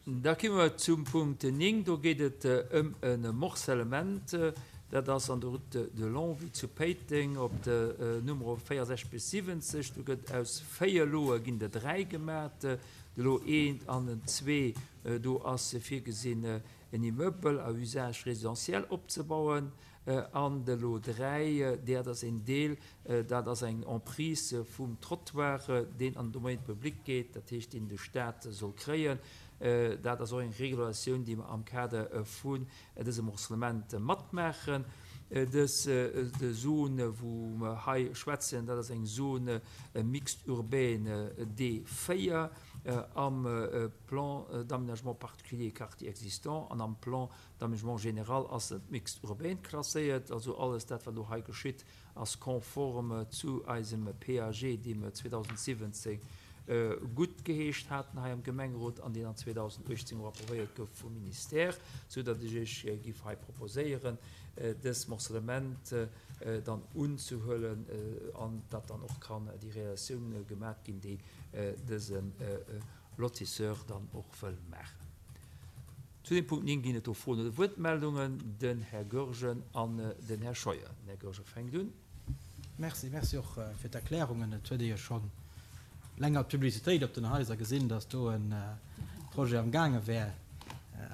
Da komme mer zum Punkt 9. Do geet et ëm e Morcellement. Dat ass an der Route de Longwy zu Péiteng op de Numero 64 bis 70. Do gëtt aus 4 Loe ginn der 3 gemat. De Lot 1 an den 2, do ass virgesinn en Immeuble à usage résidentiel opzebauen. An de Lot 3, dat ass een Deel, dat ass eng Emprise vum Trottoir, deen an den Domaine public geet, dat heescht, deen de Stat soll kréien. Dat ass och eng Regulatioun, déi mer am Kader vun dësem Morcellement matmaachen. Dës Zone, wou mer hei schwätzen, dat ass eng Zone mixte urbaine D4 am Plan d'aménagement particulier quartier existant an am Plan d'aménagement général ass et mixte urbaine klasséiert. Also alles dat, wat elo hei geschitt, ass konform zu eisem PAG, dee mer 2017 guttgeheescht haten hei am Gemengerot an deen an 2018 och approuvéiert gouf vum Ministère, sou datt ech Iech giff hei proposéieren, dës Morcellement dann unzehuelen an datt dann och kann déi Realisatioun gemat ginn, déi dëse Lotisseur dann och wëll maachen. Zu dem Punkt 9 ginn et do Froen oder Wuertmeldungen. Den Här Goergen an den Här Scheuer. Den Här Goergen fänkt un. Merci. Merci och fir d'Erklärungen. Et huet ee jo scho länger d'Publicitéit op den Haiser gesinn, dass do e Projet am gaange wär.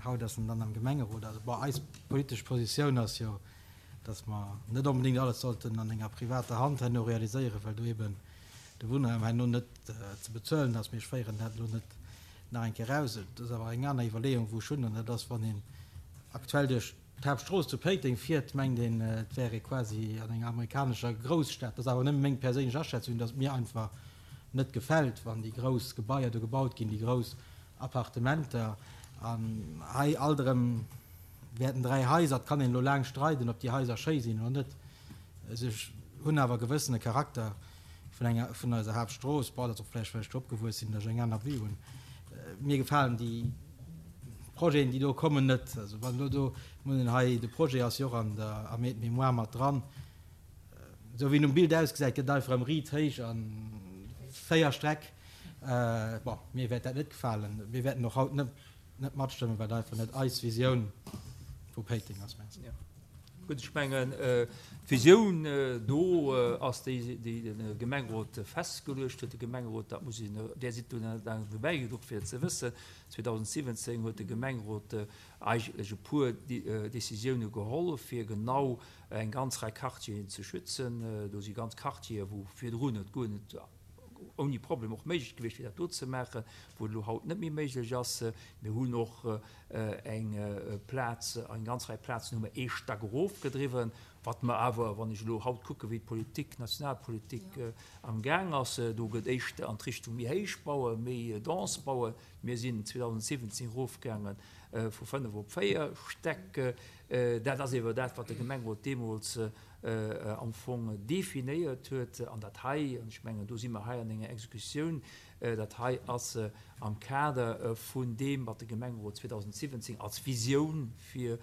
Haut ass en dann am Gemengerot. Also, bon, eis politesch Positioun ass jo, dass mer net onbedéngt alles sollten an enger privater Hand herno realiséieren, well do eben de Wunnraum herno net ze bezuelen ass. Mee ech féieren dat elo net nach eng Kéier eraus. Et ass awer eng aner Iwwerleeung, wou ech hunn, an dat ass, wann een aktuell duerch d'Haaptstrooss zu Péiteng fiert, mengt een, et wär ee quasi an enger amerikanescher Grousstad. Dat ass awer nëmme meng perséinlech Aschätzung, dass et mir einfach net gefält, wann déi grouss Gebaier do gebaut ginn, déi grouss Appartementer. An hei alt erëm wäerten 3 Haiser, et kann een elo laang streiden, ob déi Haiser schéi sinn oder net, se hunn awer e gewëssene Charakter vun enger, vun eiser Haaptstrooss. Bon, dat ass och vläicht, well ech do opgewuess sinn, datt ech eng aner Vue hunn. Mir gefalen déi Projeten, déi do kommen, net. Also wann elo do, mir hunn hei, de Projet ass jo och an der, am Aide-mémoire mat dran. Esou wéi en um Bild ausgesäit, gëtt et einfach erëm riit héich a 4 Streck. Bon, mir wäert dat net gefalen. Mir wäerten och haut net, net matstëmmen, well et einfach net eis Visioun vu Péiteng ass. Merci. Gutt, ech mengen, d'Visioun do ass déi, déi de Gemengerot festgeluecht huet. De Gemengerot, dat muss een, Där sidd do net laang dobäi genuch fir et ze wëssen, 2017 huet de Gemengerot eigentlech e puer Décisioune geholl, fir genau eng ganz Rei Quartieren ze schützen. Do si ganz Quartiere wou virdrun et guer net ouni Problem och méiglech gewiescht wier, dat do ze maachen, wou et elo haut net méi méiglech ass. Mir hunn och eng Plaz, eng ganz Rei Plazen hu mer ee Stack erofgedriwwen, wat mer awer, wann ech elo haut kucke wéi d'Politik, d'Nationalpolitik am Gaang ass, do gëtt éischter an d'Richtung méi héich bauen, méi dense bauen. Mir sinn 2017 erofgaange vu 5 op 4 Stäck. Dat ass ewer dat, wat de Gemengerot deemools am Fong definéiert huet. An dat hei, an ech mengen, do si mer hei an enger Exekutioun, dat hei ass am Kader vun deem, wat de Gemengerot 2017 als Visioun fir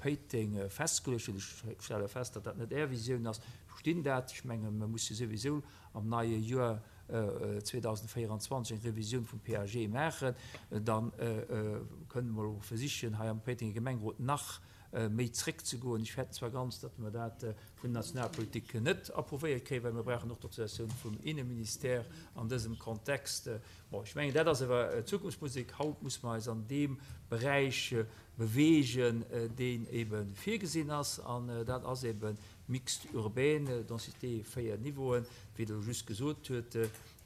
Péiteng festgeluecht huet. Ech stelle fest, datt dat net Är Visioun ass. Ech verstinn dat. Ech menge mer musse souwisou am neie Joer 2024 eng Revisioun vum PAG maachen. Da kënne mer elo versichen, hei am Péitenger Gemengerot nach méi zréckzegoen. Ech fäerten zwar ganz, datt mer dat vun der Nationalpolitik net approuvéiert kréien, well mir brauchen och d'Autorisatioun vum Inneministère an dësem Kontext. Bon, ech mengen, dat ass awer Zukunftsmusek. Haut muss mer eis an deem Beräich beweegen, deen ebe virgesinn ass, an dat ass ebe mixte urbaine, densité 4 Niveauen, wéi Der elo just gesot huet.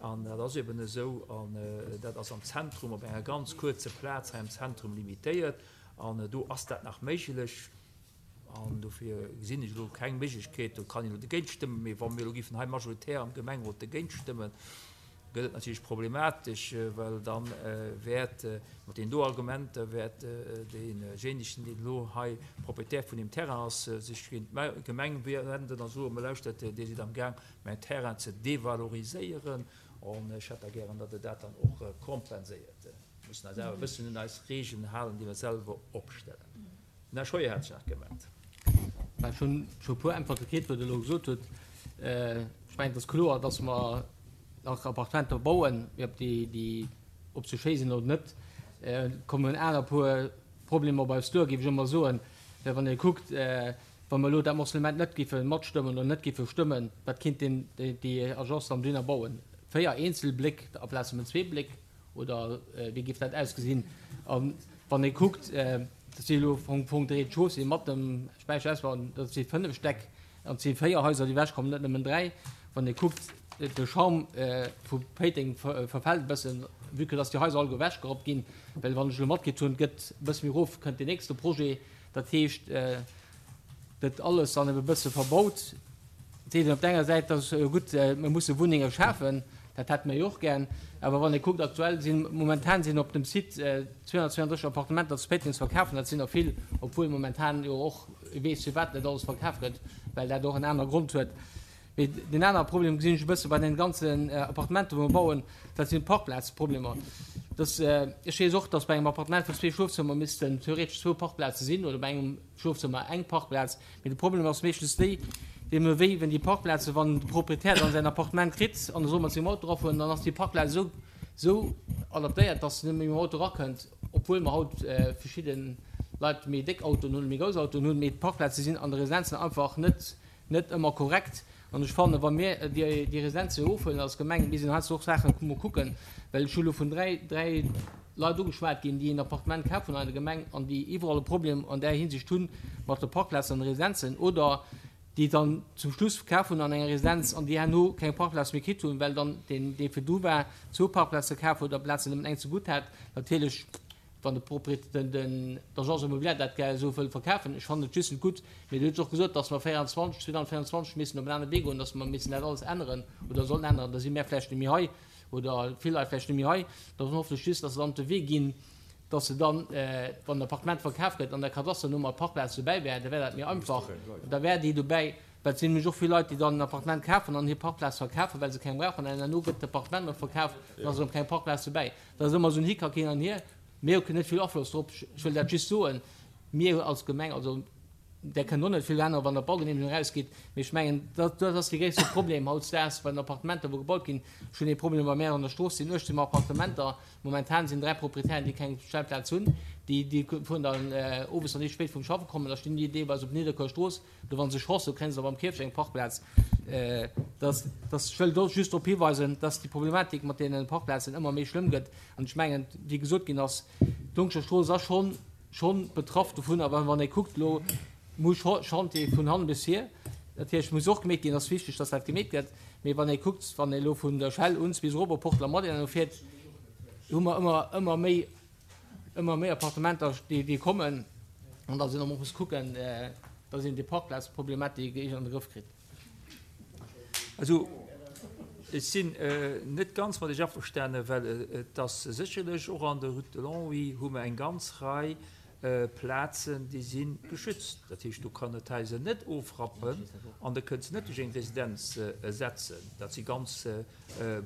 An dat ass eben esou, an dat ass am Zentrum, op enger ganz kuerzer Plaz hei am Zentrum limitéiert. An do ass dat nach méiglech. An dofir gesinn ech elo keng Méiglechkeet, do kann een elo dogéint stëmmen, mee wa mir elo géifen hei majoritär am Gemengerot dogéint stëmmen, gëtt et natierlech problematesch, well da wäert mat deenen do Argumenter wäert deejéinegen, deen elo hei Proprietär vun deem Terrain ass, sech géint d'Gemeng wenden a soen, Mä lauschtert, Dir sidd amgaang mäin Terrain ze devaloriséieren an ech hätt da gären, datt Der dat dann och kompenséiert. Mir mussen eis awer e bëssen un eis Regeln halen, déi mer selwer opstellen. Den Här Scheuer hat sech nach gemellt. Ech hunn scho e puer Äntwerte kritt, wat Der elo gesot hutt. Ech mengen, et ass kloer, dass mer nach Appartementer bauen, mee ob déi, ob se schéi sinn oder net. Kommen aner puer Problemer op eis duer, géif ech ëmmer soen. Well wann ee kuckt, wa mer elo dat Morcellement net géife matstëmmen oder net géife stëmmen, wat kéint deen, déi Agence dann dohinner bauen? 4 eenzel Bléck aplaz nëmmen zwee Bléck? Oder wéi géif dat ausgesinn? A wann ee kuckt, dat si elo am Fong de Rez-de-chaussée mat dem Späicherausbau, dat si 5 Stäck an et si 4 Haiser, déi ewechkommen, net nëmmen 3. Wann ee kuckt, de Charme vu Péiteng verfält e bëssen, vue que dass déi Haiser alleguer ewechgerappt ginn. Well wann ech elo matkritt hunn, et gëtt e bësse méi erof, kënnt deen nächste Projet. Dat heescht, gëtt alles dann ebe bësse verbaut. Et seet een op der enger Säit, dat ass jo gutt, mir musse Wunnenge schafen, dat hätte mir jo och gär. Awer wann ee kuckt, aktuell sinn, momentan sinn op dem Site 232 Appartementer zu Péiteng ze verkafen, dat sinn der vill, obwuel momentan jo och ee weess firwat net alles verkaf gëtt, well dat och en anere Grond huet. Mee deen anere Problem gesinn ech e bësse bei den ganzen Appartementer, wou mer bauen, dat sinn d'Parkplazproblemer. Dass, ech weess och, dass bei engem Appartement vun zwee Schlofzëmmer missten theoretesch zwou Parkplaze sinn oder bei engem Schlofzëmmer eng Parkplaz. Mee de Problem ass meeschtens déi, dee mir wéi, wenn déi Parkplaze, wann de Proprietär dann säin Appartement kritt an e soll mat sengem Auto erafueren, dann ass déi Parkplaz esou, esou adaptéiert, dass en net méi mam Auto erakënnt, obwuel mer haut verschidde Leit méi déck Autoen hunn, méi grouss Autoen hunn, mee d'Parkplaze sinn an de Residenzen einfach net, net ëmmer korrekt. An ech fannen, wa mir déi, déi Residenze ofhuelen als Gemeng, mir sinn heiansdo och Saachen mol kucken, well ech hu lo vun 3, 3 Leit ugeschwat ginn, déi en Appartement kaf hunn hei an der Gemeng an déi iwwerall e Problem an där Hinsicht hunn mat de Parkplazen an de Residenzen oder déi dann zum Schluss kaf hunn an enger Residenz an déi herno keng Parkplaz méi kritt hunn, well dann deen, dee virdu war, zwou Parkplaze kaf huet amplaz en nëmmen eng zegutt hat. Natierlech wann de Propriet, den, den, d'Agence immobilière dat gär esou wëll verkafen, ech fannen et just net gutt, mee Dir hutt och gesot, dass mer 24, 2024 missen op en anere Wee goen, dass mer missen dat alles änneren oder sollen änneren, da si mär vläicht net méi hei oder vill Leit vläicht net méi hei, da hoffen ech just, dass se dann op de Wee ginn, dass se dann, wann den Appartement verkaf gëtt, an der Kadasternummer d'Parkplaz dobäi wär, da wär dat méi einfach, da wär déi dobäi, well et sinn nämlech och vill Leit, déi dann en Appartement kafen an hir Parkplaz verkafen, well se keng brauchen, an herno gëtt d'Appartement erëm verkaf, dann ass erëm keng Parkplaz dobäi. Dat ass ëmmer esou en Hickhack hin an hier. Mir hu net vill Afloss drop. Ech wëll dat just soen. Mir als Gemeng, also där kënnt och net vill änneren, wann der Baugenehmegung erausgeet. Mee ech mengen, dat, dat ass dee gréisste Problem hautdesdaags bei den Appartementer, wou gebaut ginn. Ech hunn ee Problem bei mär an der Strooss sinn 18 Appartementer. Momentan sinn 3 Proprietären, déi keng Stellplaz hunn. Déi, déi fueren dann owes, wann déi spéit vum Schaffe kommen, da stinn déi deelweis op Nidderkuer Strooss. Do wann se Chance hu kréien se och am Kierfecht eng Parkplaz. Dass, dass, ech wëll do just drop hiweisen, dass déi Problematik mat deene Parkplazen ëmmer méi schlëmm gëtt. An ech mengen, wéi gesot ginn ass, d'Longscher Strooss ass schonn, schonn betraff dovun. A wann ee kuckt elo, mu Chantier vun hannen bis vir, natierlech muss och gemeet ginn, ass wichteg, dass dat gemeet gëtt. Mee wann ee kuckt, wann ee elo vun der Shell un bis erop op Portland Madeleine fiert, hu mer ëmmer, ëmmer méi, ëmmer méi Appartementer, déi, déi kommen, an da sinn och muss kucken, dass een déi Parkplazproblematik eegent an de Grëff kritt. Also, ech sinn net ganz mat Iech averstanen, well et ass sécherlech och an der Route de Longwy hu mer eng ganz Rei Plazen, déi si geschützt. Dat heescht, do kann et d'Haiser net ofrappen an da kënnt se net duerch eng Residenz ersetzen. Dat si ganz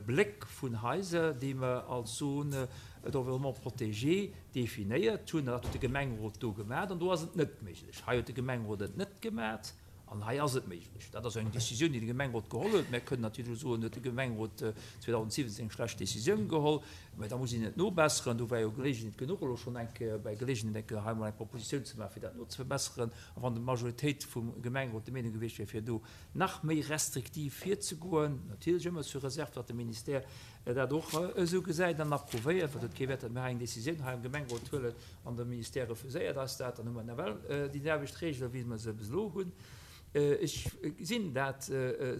Bléck vun Haiser, déi mer als Zone d'environnement protégée definéiert hunn. Dat huet de Gemengerot do gemat an do ass et net méiglech. Hei huet de Gemengerot et net gemat an hei ass et méiglech. Dat ass eng Décisioun, déi de Gemengerot geholl huet. Mer kënnen natierlech elo soen, huet de Gemengerot 2017 eng schlecht Décisioun geholl, mä da muss een et nobesseren. Do war jo Geleegenheet genuch, elo schonn eng Kéier bei Geleegenheet eng Kéier hei emol eng Propositioun ze maachen, fir dat nozeverbesseren. A wann d'Majoritéit vum Gemengerot der Meenung gewiescht wier, fir do nach méi restriktiv virzegoen, natierlech ëmmer sous réserve, datt de Ministère dat och esou gesäit an approuvéiert, well et huet kee Wäert, datt mir hei eng Décisioun hei am Gemengerot huelen an de Ministère refuséiert eis dat, dann hu mer nawell déi selwecht Regele wéi mer se bis elo hunn. Ech gesinn dat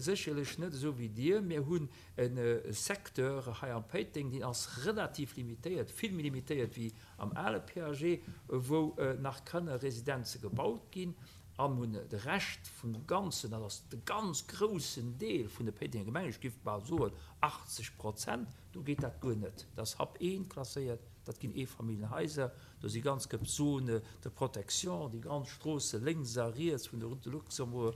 sécherlech net esou wéi Dir. Mir hunn e Secteur hei am Péiteng, deen ass relativ limitéiert, vill méi limitéiert wéi am ale PAG, wou nach kënne Residenze gebaut ginn. An hunn de Rescht vum Ganzen, dat ass de ganz groussen Deel vun de Péitenger Gemeng, ech géif bal soen 80 Prozent, do geet dat guer net. Dat ass Hap I klasséiert, dat ginn Eefamilljenhaiser, do si ganz gëpp Zones de protection, déi ganz Stroosse lénks a riets vun der Route de Luxembourg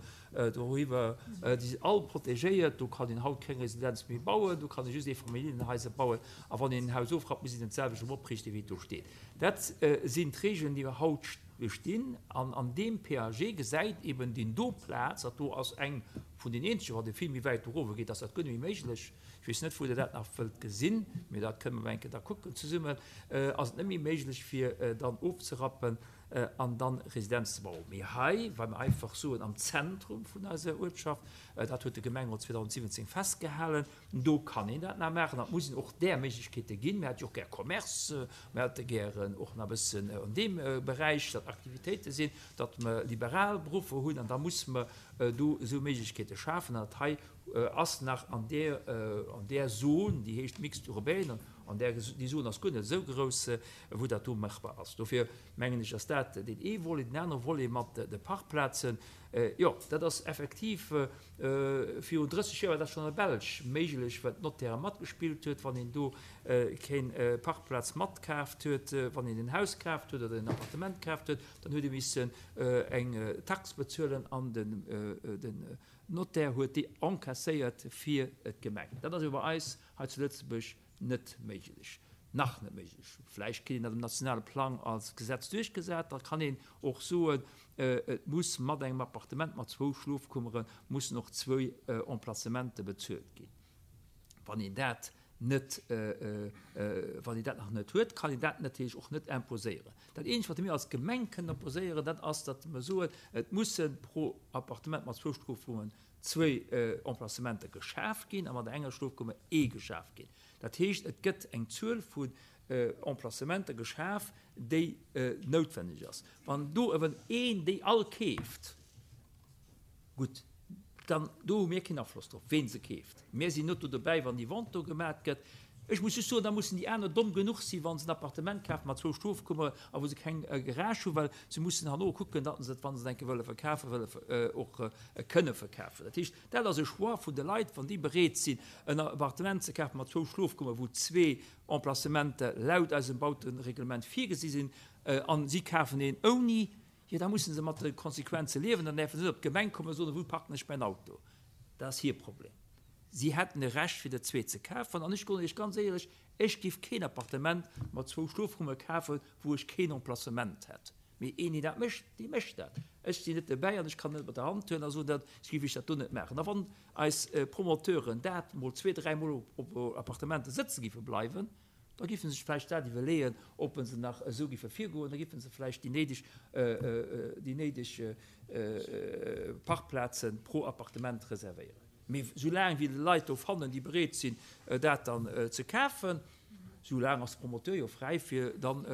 doriwwer, déi sinn all protegéiert. Do kann een haut keng Residenz méi bauen, do kann ee just Eefamilljenhaiser bauen. A wann een en Haus ofrappt, muss een et d'selwecht erëm opriichten, wéi et do steet. Dat sinn d'Regeln, déi haut bestinn. An an deem PAG gesäit eben deen do Plaz, dat do ass eng vun den eenzegen, wann ee vill méi wäit do erofe geet, ass dat guer net méi méiglech. Ech weess net, wou Der dat nach wëllt gesinn, mee dat kënne mer eng Kéier da kucken zesummen, ass et net méi méiglech, fir dann ofzerappen an dann Residenz ze bauen. Mee hei, well mer einfach soen, am Zentrum vun eiser Uertschaft, dat huet de Gemengerot 2017 festgehalen, do kann een dat nach maachen an et muss een och där Méiglechkeete ginn. Mir hätte jo och gär Commerce, mir hätte gären och nach e bëssen an deem Beräich, datt Aktivitéite sinn, datt mer liberal Beruffer hunn an da musse mer do esou Méiglechkeete schafen. An dat hei ass nach an där, an där Zon, déi heescht Mixte urbaine, an där, déi Zon ass guer net esou grouss, wou dat do machbar ass. Dofir mengen ech, ass dat deen ee Volet. Den anere Volet mat de Parkplazen, jo, dat ass effektiv, virun 30 Joer war dat schonn an der Belsch méiglech, well d'Notaire matgespillt huet, wann een do keng Parkplaz matkaaft huet, wann een en Haus kaaft huet oder en Appartement kaaft huet, dann huet ee missen eng Tax bezuelen an den, den Notaire huet déi encaisséiert fir d'Gemeng. Dat ass jo bei eis hei zu Lëtzebuerg net méiglech, nach net méiglech. Vläicht kritt een dat um nationale Plang als Gesetz duerchgesat, da kann een och soen, et muss mat engem Appartement mat zwou Schlofkummere mussen och zwou Emplacementen bezuelt ginn. Wann een dat net, wann een dat nach net huet, kann een dat natierlech och net imposéieren. Dat eenzegt, wat mir als Gemeng kënnen imposéieren, dat ass, datt mer soen, et musse pro Appartement mat zwou Schlofrummen zwéi Emplacementer geschaf ginn a mat enger Schlofkummer ee geschaf ginn. Dat heescht, et gëtt eng Zuel vun Emplacementer geschaf, déi noutwenneg ass. Wann do ewen een déi all keeft, Gutt, dann do hu mir keen Afloss drop, ween se keeft. Mir sinn net do dobäi, wann déi Vente do gemat gëtt. Ech muss just soen, da mussen déi aner domm genuch sinn, wa se en Appartement kafen mat zwou Schlofkummere a wou se keng Garage hunn, well se mussen herno kucken, datt se et, wa se et eng Kéier wëlle verkafen, wëlle och kënne verkafen. Dat heescht, dat ass e Choix vun de Leit, wann déi bereet sinn, en Appartement ze kafen mat zwou Schlofkummere, wou zwee Emplacementer laut eisem Bautereglement virgesi sinn, a si kafen een ouni, Jo, da musse se mat de Konsequenze liewen. Dann däerfe se net op d'Gemeng kommen a soen, wou parken ech mäin Auto? Dat ass hir Problem. Si hätten e Recht, fir der zwee ze kafen. An ech soen Iech ganz éierlech, ech giff keen Appartement mat zwou Schlofrumme kafen, wou ech keen Emplacement hätt. Mee een, deen dat mécht, dee mécht dat. Ech sinn net dobäi an ech kann net mat der Hand huelen a soen, dat giff ech dat do net maachen. A wann eis Promoteuren dat mol zwee, dräimol op Appartementen sëtze giffe bleiwen, Da giffen se sech vläicht dat iwwerleeën, ob se nach esou giffe virgoen. Da giffen se vläicht déi néideg, déi néideg Parkplaze pro Appartement reservéieren. Mee soulaang wéi de Leit do fannen, déi bereet sinn, dat dann ze kafen, soulaang ass de Promoteur jo fräi, fir dann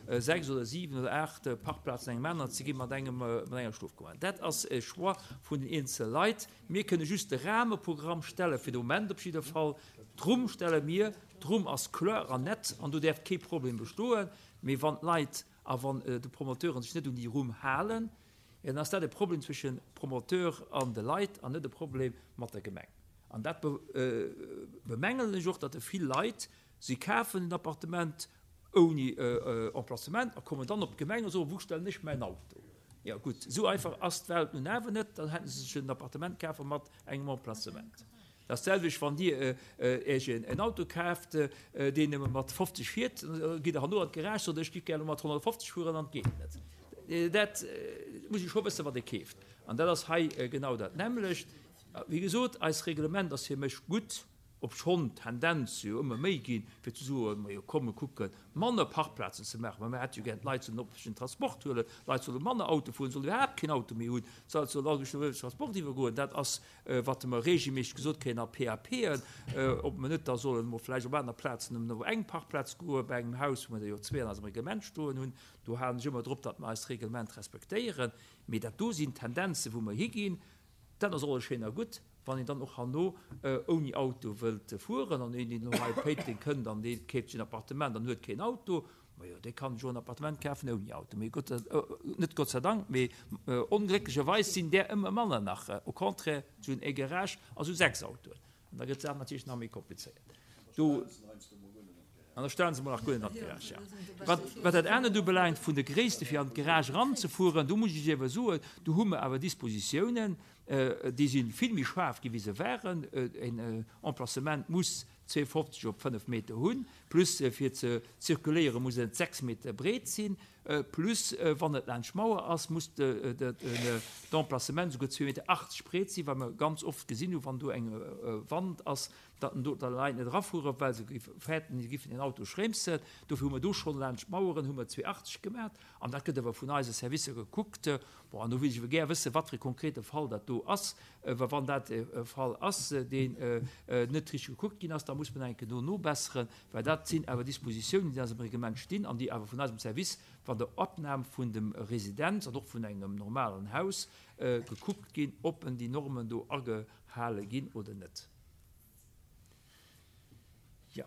6 oder 7 oder 8 Parkplazen engem aneren ze gi mat engem, mat enger Schlofkummer. Dat ass e Choix vun den eenzele Leit. Mir kënne just de Rahmeprogramm stellen, fir de Moment op jidder Fall. D'Rumm stelle mir. D'Rumm ass kloer an nett an do däerft kee Problem bestoen. Mee wann d'Leit a wann de Promoteuren sech net un déi Rumm halen, jo dann ass dat e Problem zwëschen Promoteur an de Leit an net e Problem mat der Gemeng. An dat bemängelen ech och, datt vill Leit, si kafen en Appartement ouni Emplacement a kommen dann op d'Gemeng a soen, wou stellen ech mäin Auto? Jo gutt, esou einfach ass d'Welt nun awer net. Dann hätte se sech en Appartement kafe mat engem Emplacement. Dat ass d'selwecht, wann Dir Iech en Auto kaaft, deen nëmme mat 50 fiert, da gitt Der herno an d'Garage, sot, ech giff gär elo mat 150 fueren, an et geet net. Dat muss ee scho wëssen, wat ee keeft. An dat ass hei genau dat nämmlecht. Wéi gesot, eist Reglement ass fir mech gutt, obschonn d'Tendenz jo ëmmer méi ginn, fir ze soen, majo komm, mir kucken, manner Parkplazen ze maachen, well mir hätte jo gär, d'Leit sollen öffentlechen Transport huelen, d'Leit solle manner Auto fueren, solle iwwerhaapt keen Auto méi hunn, d'Leit sollen all duerch den öffentlechen Transport iwwergoen. Dat ass Wat mer regelméisseg gesot kréien a PAPen, ob mer net da sollen emol vläicht op aner Plazen nëmmen op eng Parkplaz goen, bei engem Haus, wou mer der jo zwee an eisem Reglement stoen hunn. Do halen ech ëmmer drop, datt mer eist Reglement respektéieren. Mee dat do sinn Tendenzen, wou mer higinn. Dat ass alles schéin a gutt, wann een dann och herno ouni Auto wëllt fueren an een, deen elo hei op Péiteng kënnt an dee keeft sech en Appartement an huet keen Auto, Majo, dee kann sech och en Appartement kafen ouni Auto. Mee Gott, net Gott sei Dank, mee onglécklecherweis sinn där ëmmer manner nach. Au contraire, se hunn e Garage a sou 6 Autoen. An da gëtt d'Saach natierlech nach méi komplizéiert. Do, an da stellen se mol nach guer net an d'Garage, ja. Wat, wat dat anert ubelaangt, vun de Gréisste fir an d'Garage eranzefueren, do muss ech Iech awer soen, do hu mer awer Dispositiounen, déi si vill méi schaarf gi wéi se waren. En Emplacement muss 52 op 5 Meter hunn, plus fir ze zirkuléiere muss et 6 Meter breet sinn, plus wann et laanscht d'Mauer ass, muss d'Emplacement esouguer 2,80 Meter breet sinn, well mer ganz oft gesinn hunn, wann do eng Wand ass, Datt en do d'Leit net erafueren, well se géife fäerten, si giffen den Auto schrémsen. Dofir hu mer do schonn laanscht d'Maueren hu mer 2,80 gemat. An dat gëtt awer vun eise Servicer gekuckt. Bon, an do wéilt ech awer gär wëssen, wat fir e konkrete Fall dat do ass. Well wann dat e Fall ass, deen net richteg gekuckt ginn ass, da muss mer nach eng Kéier do nobesseren. Well dat sinn awer Dispositiounen, déi an eisem Reglement stinn an déi awer vun eisem Service, wann der Opnam vun dem Residenz an och vun engem normalen Haus gekuckt ginn, ob en déi Normen do agehale ginn oder net. Jo.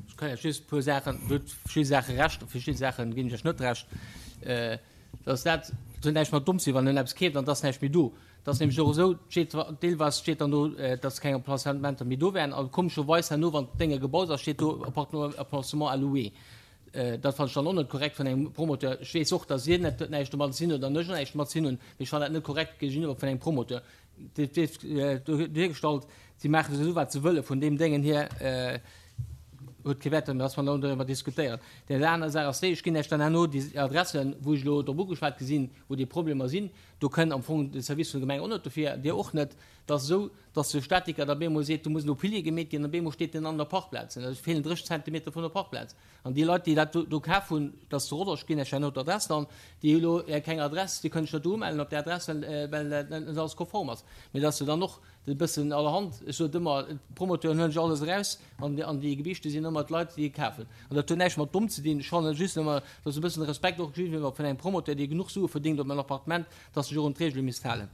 Ech kann Iech just e puer Saachen, Dir hutt verschidde Saache Recht, a verschidde Saache ginn ech Iech net Recht. Dass dat, dat huet näischt mat domm sinn, wann en eppes keeft an et ass näischt méi do. Et ass nämlech och esou, et steet deelweis steet dann do, dass keng Emplacementer méi do wären a komescherweis herno, wann d'Dénge gebaut ass, steet do Appartement à louer. Dat fannen ech dann och net korrekt vun engem Promoteur. Ech weess och, dass Dir net näischt domadder ze dinn hutt an ech och näischt domat ze dinn hunn, mee ech fannen dat net korrekt géigeniwwer vun engem Promoteur. Dat wier duergestallt, si maache esou wat se wëlle vun deem Déngen hier, huet kee Wäert, dass mer elo doriwwer diskutéieren. Déi aner Saach ass déi, ech ginn Iech dann herno déi Adressen, wou ech elo drop ugeschwat gi sinn, wou déi Problemer sinn. Do kënn am Fong de Service vun der Gemeng och net dofir, Dir och net. Et ass esou, dass de Statiker da bemol seet, do muss elo Pilier gemeet ginn, an bemol steet deen an der Parkplaz. Et feelen 30 Zentimeter vun der Parkplaz. An déi Leit, déi dat do kaf hunn, dat ass zu Rodange, ginn ech herno d'Adress dann, déi hu elo keng Adress, déi kënnen sech net do umellen op där Adress, well dat net alles konform ass. Mee dass se dann och e bëssen allerhand, ech sot ëmmer, d'Promoteuren huelen sech alles eraus an déi Gebichte sinn ëmmer d'Leit, déi et kafen. An dat huet näischt mat domm ze dinn. Ech fannen just ëmmer, dass e bëssen Respekt och géigeniwwer vun engem Promoteur, dee genuch Sue verdéngt op en Appartement, dass sech och un d'Regele misst halen.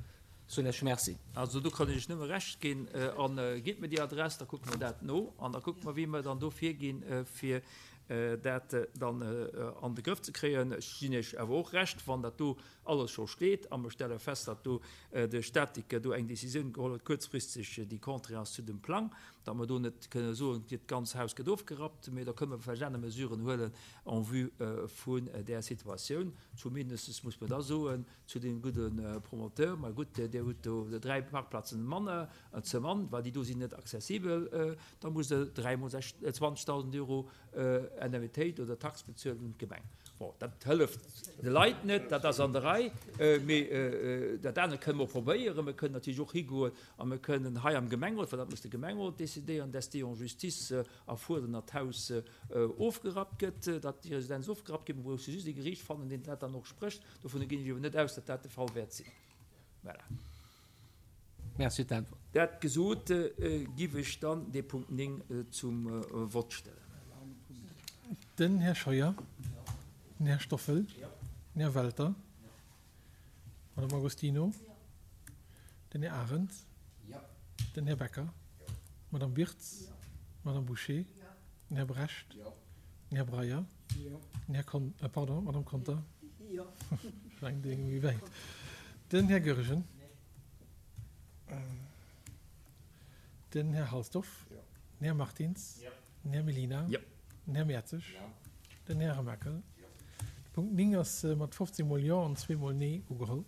Soen ech Merci. Also do kann ech Iech nëmme Recht ginn. A gitt mir déi Adress, da kucke mer dat no an da kucke mer, wéi mer dann do virginn, fir dat dann an de Grëff ze kréien. Ech ginn Iech awer och Recht, wann dat do alles scho steet a mer stelle fest, datt do de Statiker do eng Décisioun geholl huet kuerzfristeg, déi contraire ass zu dem Plang, datt mer do net kënne soen, dat ganz Haus gëtt ofgerappt, mee da kënne mer vläicht aner Mesuren huelen en vue vun där Situatioun. Zumindest muss mer da soen, Zu deem gudde Promoteur, ma gutt, Dir hutt do 3 Parkplazen manner ze man, well déi do sinn net accessibel, da musst Der 3 mol 20.000 Euro Indemnitéit oder Tax bezuelen un d'Gemeng. Bon, dat hëlleft de Leit net, dat ass an der Rei, mee dat anert kënne mer och probéieren. Mer kënnen natierlech och higoen a mer kënnen hei am Gemengerot, well dat muss de Gemengerot decidéieren, d'SD en justice erfuerderen, datt d'Haus ofgerappt gëtt, datt déi Residenz ofgerappt gëtt. Mer bräuchte just ee Geriicht fannen, deen dat dann och sprécht. Dovunner ginn ech awer net aus, datt dat de Fall wäert sinn. Voilà. Merci fir d'Äntwert. Dat gesot, giff ech dann dee Punkt 9 zum Vott stellen. Den Här Scheuer, den Här Stoffel, den Här Welter, d'Madame Agostino, den Här Arendt, den Här Becker, d'Madame Birtz, d'Madame Bouché, den Här Brecht, den Här Breyer, Den Här Kon, äh, pardon, d'Madame Conter. Jo. Eng Ding méi wäit. Den Här Goergen. Den Här Halsdorf. Jo. Den Här Martins. Jo. Den Här Mellina. Jo. Den Här Mertzig. Jo. Den Här Remakel. Jo. De Punkt 9 ass mat 15 mol Jo an zweemol Nee ugeholl.